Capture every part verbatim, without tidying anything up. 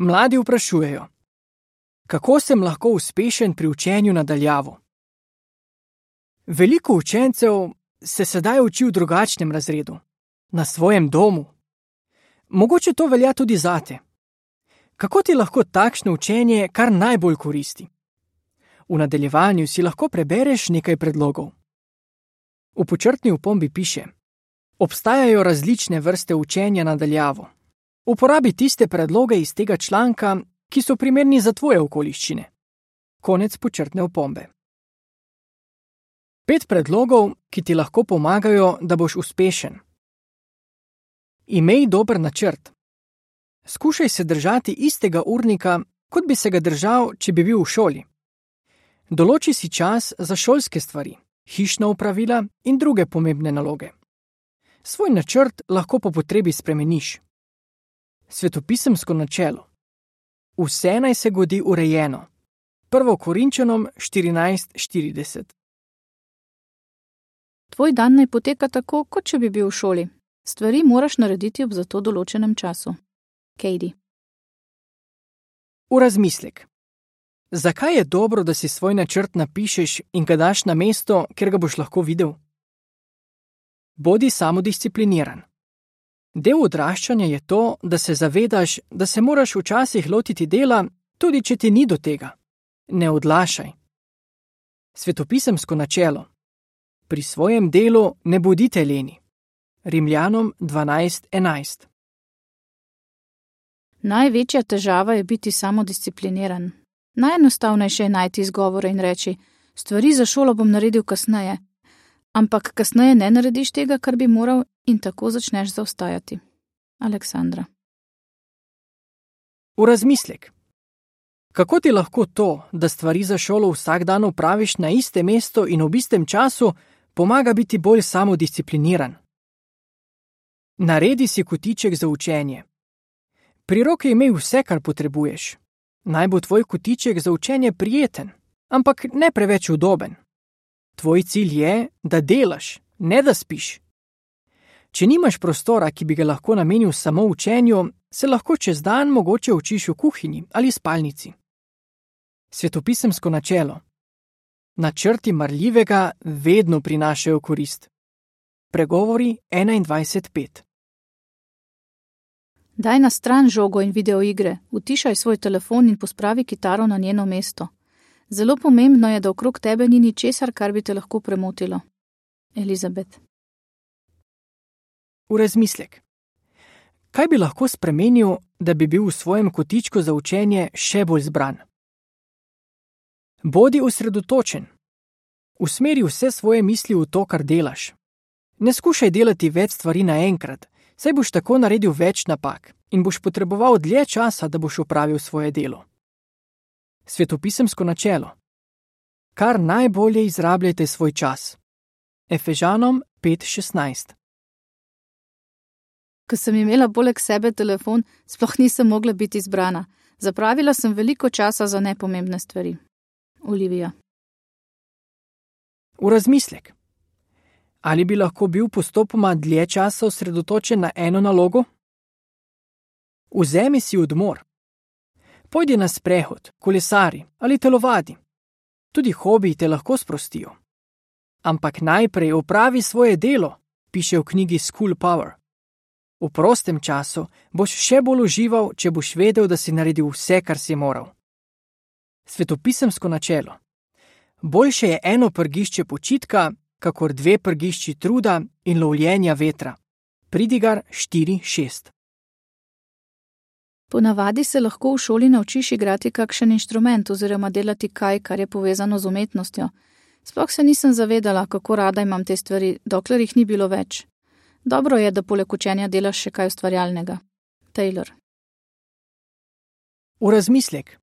Mladi vprašujejo: kako sem lahko uspešen pri učenju nadaljavo? Veliko učencev se sedaj uči v drugačnem razredu, na svojem domu. Mogoče to velja tudi zate. Kako ti lahko takšno učenje kar najbolj koristi? V nadaljevanju si lahko prebereš nekaj predlogov. V počrtni opombi piše: obstajajo različne vrste učenja nadaljavo. Uporabi tiste predloge iz tega članka, ki so primerni za tvoje okoliščine. Konec počrtne opombe. Pet predlogov, ki ti lahko pomagajo, da boš uspešen. Imej dober načrt. Skušaj se držati istega urnika, kot bi se ga držal, če bi bil v šoli. Določi si čas za šolske stvari, hišna opravila in druge pomembne naloge. Svoj načrt lahko po potrebi spremeniš. Svetopisemsko načelo. Vse naj se godi urejeno. Prvo Korinčanom štirinajst štirideset. Tvoj dan naj poteka tako, kot če bi bil v šoli. Stvari moraš narediti ob za to določenem času. Katie. V razmislek. Zakaj je dobro, da si svoj načrt napišeš in ga daš na mesto, kjer ga boš lahko videl? Bodi samodiscipliniran. Del odraščanja je to, da se zavedaš, da se moraš včasih lotiti dela, tudi če ti ni do tega. Ne odlašaj. Svetopisemsko načelo. Pri svojem delu ne bodite leni. Rimljanom dvanajst enajst. Največja težava je biti samodiscipliniran. Najenostavnejše je najti izgovore in reči: stvari za šolo bom naredil kasneje. Ampak kasneje ne narediš tega, kar bi moral, in tako začneš zaostajati. Aleksandra. V razmislek. Kako ti lahko to, da stvari za šolo vsak dan opraviš na istem mestu in ob istem času, pomaga biti bolj samodiscipliniran? Naredi si kotiček za učenje. Pri roki imej vse, kar potrebuješ. Naj bo tvoj kotiček za učenje prijeten, ampak ne preveč udoben. Tvoj cilj je, da delaš, ne da spiš. Če nimaš prostora, ki bi ga lahko namenil samo učenju, se lahko čez dan mogoče učiš v kuhinji ali spalnici. Svetopisemsko načelo. Načrti marljivega vedno prinašajo korist. Pregovori enaindvajset pet. Daj na stran žogo in videoigre, utišaj svoj telefon in pospravi kitaro na njeno mesto. Zelo pomembno je, da okrog tebe ni ničesar, kar bi te lahko premotilo. Elizabet. V razmislek. Kaj bi lahko spremenil, da bi bil v svojem kotičku za učenje še bolj zbran? Bodi osredotočen. Usmeri vse svoje misli v to, kar delaš. Ne skušaj delati več stvari naenkrat, saj boš tako naredil več napak in boš potreboval dlje časa, da boš opravil svoje delo. Svetopisemsko načelo. Kar najbolje izrabljajte svoj čas. Efežanom pet šestnajst. Ko sem imela poleg sebe telefon, sploh nisem mogla biti zbrana. Zapravila sem veliko časa za nepomembne stvari. Olivija. V razmislek. Ali bi lahko bil postopoma dlje časa osredotočen na eno nalogo? Vzemi si odmor. Pojdi na sprehod, kolesari ali telovadi. Tudi hobiji te lahko sprostijo. Ampak najprej opravi svoje delo, piše v knjigi School Power. V prostem času boš še bolj užival, če boš vedel, da si naredil vse, kar si moral. Svetopisemsko načelo. Boljše je eno prgišče počitka, kakor dve prgišči truda in lovljenja vetra. Pridigar štiri šest. Ponavadi se lahko v šoli naučiš igrati kakšen inštrument oziroma delati kaj, kar je povezano z umetnostjo. Sploh se nisem zavedala, kako rada imam te stvari, dokler jih ni bilo več. Dobro je, da poleg učenja delaš še kaj ustvarjalnega. Taylor. V razmislek.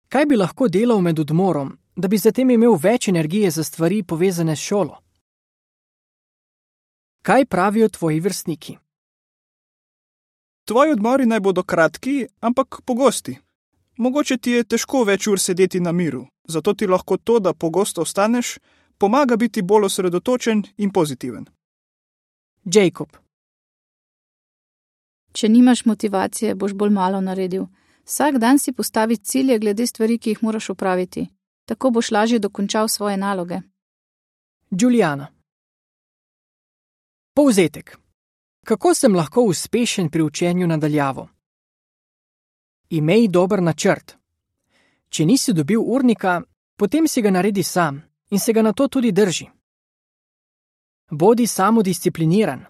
Kaj bi lahko delal med odmorom, da bi zatem imel več energije za stvari povezane s šolo? Kaj pravijo tvoji vrstniki? Tvoji odmori naj bodo kratki, ampak pogosti. Mogoče ti je težko več ur sedeti na miru, zato ti lahko to, da pogosto vstaneš, pomaga biti bolj osredotočen in pozitiven. Jacob. Če nimaš motivacije, boš bolj malo naredil. Vsak dan si postavi cilje glede stvari, ki jih moraš opraviti. Tako boš lažje dokončal svoje naloge. Juliana. Povzetek. Kako sem lahko uspešen pri učenju nadaljavo? Imej dober načrt. Če nisi dobil urnika, potem si ga naredi sam in se ga na to tudi drži. Bodi samodiscipliniran.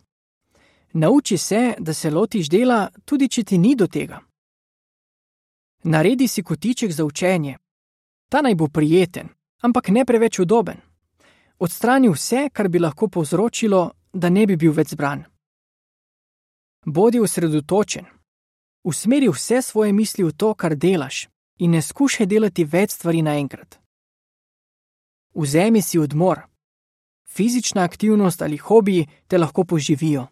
Nauči se, da se lotiš dela, tudi če ti ni do tega. Naredi si kotiček za učenje. Ta naj bo prijeten, ampak ne preveč udoben. Odstrani vse, kar bi lahko povzročilo, da ne bi bil več zbran. Bodi osredotočen. Usmeri vse svoje misli v to, kar delaš, in ne skušaj delati več stvari naenkrat. Vzemi si odmor. Fizična aktivnost ali hobiji te lahko poživijo.